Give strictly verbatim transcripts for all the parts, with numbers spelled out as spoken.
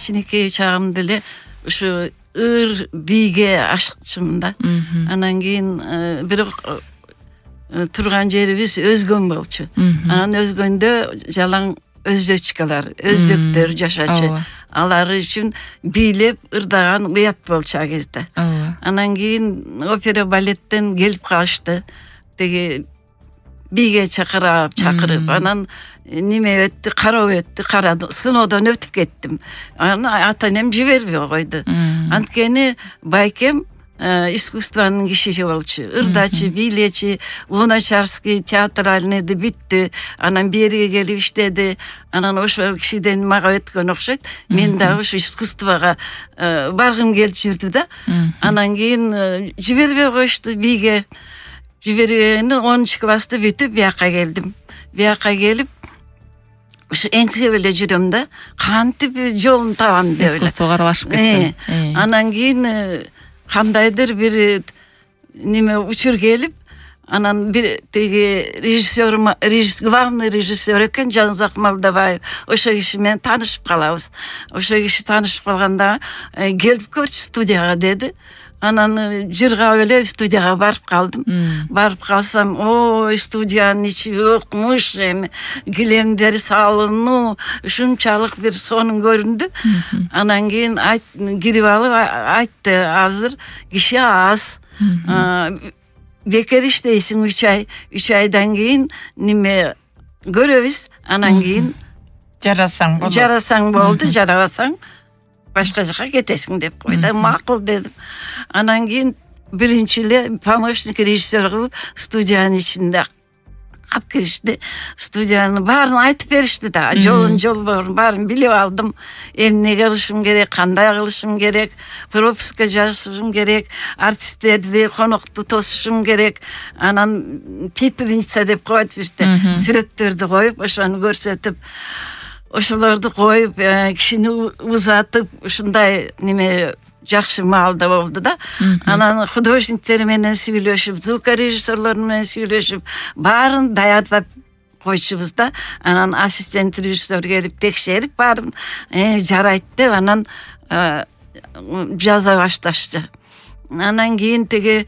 кичинекей чагымда эле ушу ыр бийге ашыкчумун да. Анан кийин бирок турган жерибиз өзгөн болчу. Анан өзгөндө жалаң өзбечкалар, өзбектер жашачу. Алар үчүн бийлеп ырдаган уят болчу а кезде. Анан кийин опера балеттен келип калышты. Теги бийге чакырып, чакырып, анан неме өттү, кароо өттү, карады. Сыноодон өтүп кеттим. Анан ата-энем жибербей койду. Анткени байкем искусствонун кишиси болчу. Ырдачы, бийлечи, Луначарский театральныйды бүттү. Анан бериге келип иштеди. Анан ошол кишиден мага өткөн окшойт. Мен дагы ошо искусствого баргым келип жүрдү да. Анан кийин жибербей коюшту бийге. Жибергени онунчу класста бүтүп бияка келдим. Бияка келип ушу эңсеп эле жүрөм да. Кантип жолун табам деп эле. Искусствого аралашып кетсем. Анан кийин кандайдыр бир неме учур келип, анан бир теги режиссер, главный режиссер экен Жанузак Малдабаев. Ошо киши менен таанышып калабыз. Ошо киши таанышып калганда келип көрчү студияга деди. Анан жыргап эле студияга барып калдым. Барып калсам, ой, студиянын ичи өкмүш, эми килемдер салынуу, ушунчалык бир сонун көрүндү. Анан кийин кирип алып айтты, азыр киши аз. Бекер иштейсиң үч ай, үч айдан кийин неме көрөбүз. Анан кийин жарасаң болду. Жарасаң болду, жарабасаң башка жака кетесиң деп койду. Макул дедим. Анан кийин биринчи эле помощник режиссер кылып студиянын ичинде алып киришти. Студиянын баарын айтып беришти да. Жолун жолборун баарын билип алдым. Эмне кылышым керек, кандай кылышым керек, пропуска жазышым керек, артисттерди, конокту тосушум керек. Анан пепельница деп коет бизде. Сүрөттөрдү коюп, ошону көрсөтүп, ошолорду коюп, кишини узатып, ушундай неме жакшы маалда болду да. Анан художниктер менен сүйлөшүп, звукорежиссерлор менен сүйлөшүп, баарын даярдап койчубуз да. Анан ассистент режиссер келип текшерип, баарын жарайт деп, анан жаза башташчы. Анан кийин теги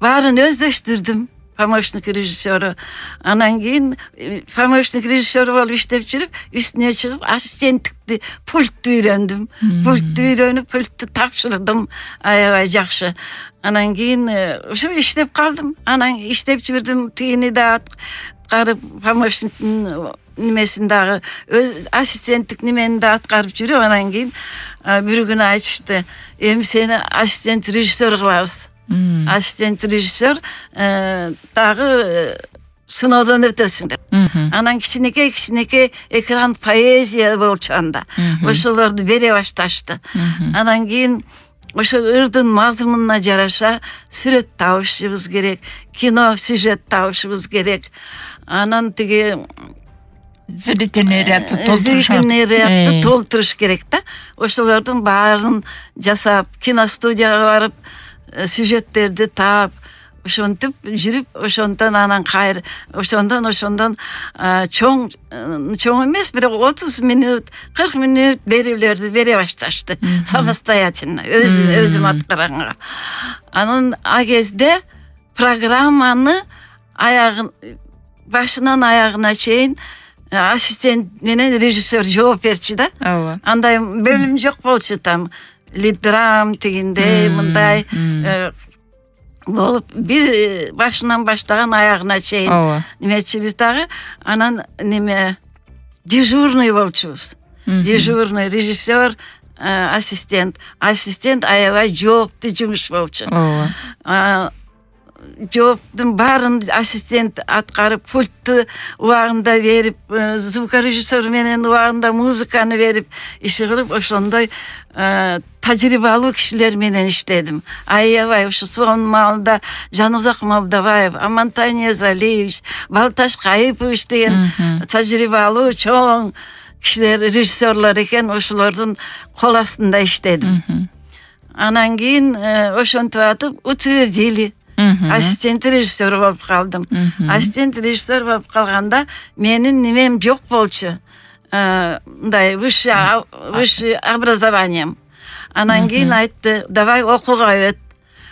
баарын өздөштүрдүм. Помощник режиссеру. Анан кийин помощник режиссер болуп иштеп жүрүп, үстүнө чыгып ассистенттикти, пультту үйрөндүм. Пультту үйрөнүп, пультту тапшырдым. Аябай жакшы. Анан кийин ошо иштеп калдым. Анан иштеп жүрдүм. Тигини да аткарып, помощниктин немесин дагы, ассистенттик немени да аткарып жүрүп, анан кийин бир күнү айтышты, эми сени ассистент режиссер кылабыз. Ассистент режиссер дагы сыноодон өтөсүң деп. Анан кичинекей кичинекей экран поэзия болчу анда. Ошолорду бере башташты. Анан кийин ошо ырдын мазмунуна жараша сүрөт табышыбыз керек, кино сюжет табышыбыз керек. Анан тиги зрительный рядты толтуруш толтуруш керек да. Ошолордун баарын жасап, киностудияга барып, сюжеттерди таап, ошентип жүрүп, ошондон анан кайр, ошондон ошондон чоң чоң эмес, бирок отуз мүнөт, кырк мүнөт берүүлөрдү бере башташты. Самостоятельно, өзүм өзүм аткаранга. Анан а кезде программаны аягын башынан аягына чейин ассистент менен режиссер жооп берчү да. Андай бөлүм жок болчу там. Лидрам тигиндей, мындай болуп, бир башынан баштаган аягына чейин немечибиз дагы. Анан неме дежурный болчубуз. Дежурный режиссер, ассистент. Ассистент аябай жооптуу жумуш болчу. Жооптун баарын ассистент аткарып, пультту убагында берип, звукорежиссер менен убагында музыканы берип, иши кылып, ошондой тажрыйбалуу кишилер менен иштедим. Аябай ушу сонун маалда Жанузак Малдабаев, Амантай Ниязалиевич, Балташ Кайыпович деген тажрыйбалуу чоң кишилер, режиссерлор экен, ошолордун кол астында иштедим. Анан кийин ошентип атып утвердили. Ассистент режиссер болуп калдым. Ассистент режиссер болуп калганда менин немем жок болчу. мындай высшее высшее образованием. Анан кийин айтты, давай окууга өт.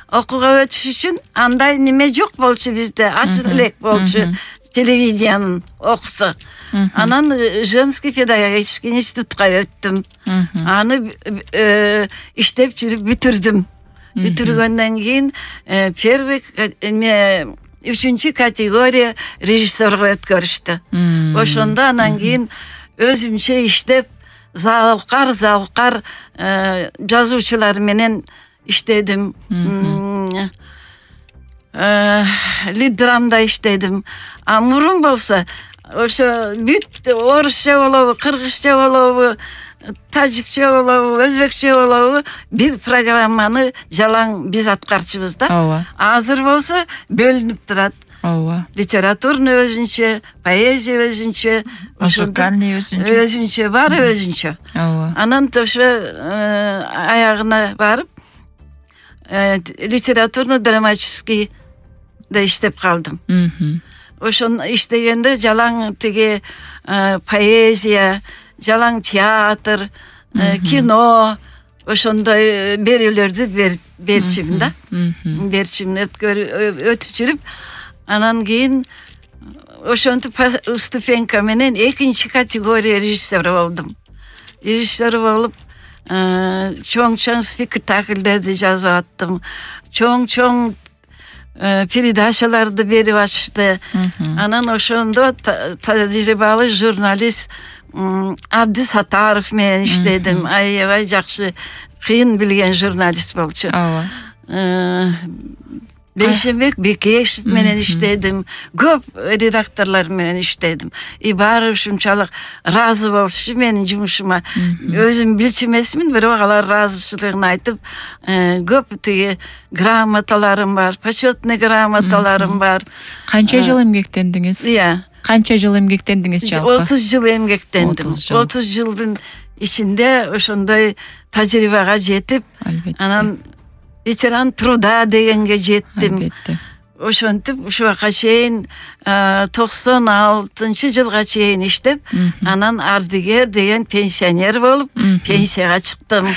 Окууга өтүш үчүн андай неме жок болчу бизде, ачык элек болчу телевидениянын окусу. Анан женский педагогический институтка өттүм. Аны иштеп жүрүп бүтүрдүм. Бүтүргөндөн кийин первый үчүнчү категория режиссерге өткөрүштү. Ошондо анан кийин өзүмчө иштеп залкар залкар жазуучулар менен иштедим. Лиддрамда иштедим. А мурун болсо ошо бүт орусча болобу, кыргызча болобу, тажикче болобу, өзбекче болобу бир программаны жалаң биз аткарчубуз да. Ооба. Азыр болсо бөлүнүп турат. Ооба. Литературный өзүнчө, поэзия өзүнчө, музыкальный өзүнчө. Өзүнчө, баары өзүнчө. Ооба. Анан ошо аягына барып литературно-драматический да иштеп калдым. Ошону иштегенде жалаң тиги поэзия, жалаң театр, кино, ошондой берүүлөрдү берчүмүн да. Берчүмүн өтүп жүрүп, анан кийин ошентип ступенька менен экинчи категория режиссер болдум. Режиссер болуп, чоң-чоң спектакльдерди жазып аттым. Чоң-чоң передачаларды берип атышты. Анан ошондо тажрыйбалуу журналист Абди Сатаров менен иштедим. Аябай жакшы, кыйын билген журналист болчу. Бейшенбек Бекешев менен иштедим. Көп редакторлор менен иштедим. И баары ушунчалык ыраазы болушу менин жумушума. Өзүм билчү эмесмин, бирок алар ыраазычылыгын айтып, көп тиги грамоталарым бар, почетный грамоталарым бар. Канча жыл эмгектендиңиз? Иә. Канча жыл эмгектендиңиз жалпы? отуз жыл эмгектендим. отуз жылдын ичинде ошондой тажрыйбага жетип, анан ветеран труда дегенге жеттим. Ошентип ушуга чейин токсон алтынчы жылга чейин иштеп, анан ардыгер деген пенсионер болуп, пенсияга чыктым.